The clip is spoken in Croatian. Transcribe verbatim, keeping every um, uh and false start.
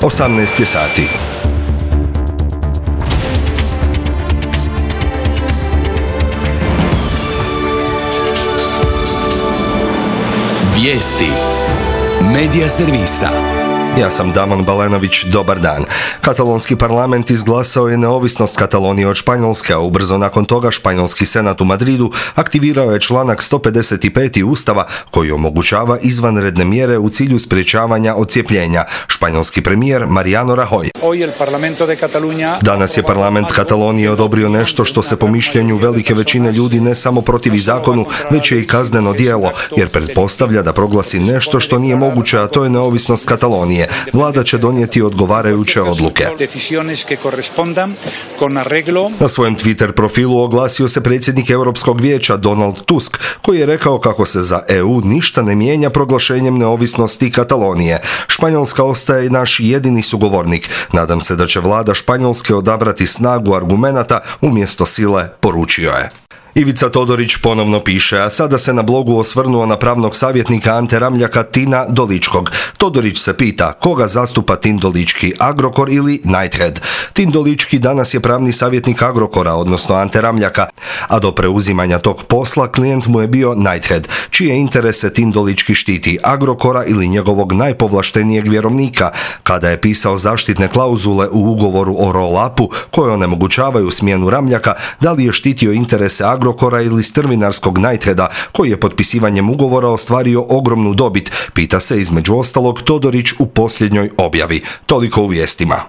osamnaest je sati. Vijesti Medija servisa. Ja sam Damon Balenović, dobar dan. Katalonski parlament izglasao je neovisnost Katalonije od Španjolske, a ubrzo nakon toga Španjolski senat u Madridu aktivirao je članak sto pedeset pet Ustava koji omogućava izvanredne mjere u cilju sprječavanja odcijepljenja. Španjolski premijer Mariano Rajoy. Danas je parlament Katalonije odobrio nešto što se po mišljenju velike većine ljudi ne samo protivi zakonu, već je i kazneno djelo, jer pretpostavlja da proglasi nešto što nije moguće, a to je neovisnost Katalonije. Vlada će donijeti odgovarajuće odluke. Na svojem Twitter profilu oglasio se predsjednik Europskog vijeća Donald Tusk, koji je rekao kako se za E U ništa ne mijenja proglašenjem neovisnosti Katalonije. Španjolska ostaje naš jedini sugovornik. Nadam se da će vlada Španjolske odabrati snagu argumenata umjesto sile, poručio je. Ivica Todorić ponovno piše, a sada se na blogu osvrnuo na pravnog savjetnika Ante Ramljaka Tina Doličkog. Todorić se pita koga zastupa Tin Dolički, Agrokor ili Knighthead. Tin Dolički danas je pravni savjetnik Agrokora, odnosno Ante Ramljaka, a do preuzimanja tog posla klijent mu je bio Knighthead, čije interese Tin Dolički štiti, Agrokora ili njegovog najpovlaštenijeg vjerovnika, kada je pisao zaštitne klauzule u ugovoru o roll-upu koje onemogućavaju smjenu Ramljaka, da li je štitio interese Agrokora Agrokora ili strvinarskog Knightheada, koji je potpisivanjem ugovora ostvario ogromnu dobit, pita se između ostalog Todorić u posljednjoj objavi. Toliko u vijestima.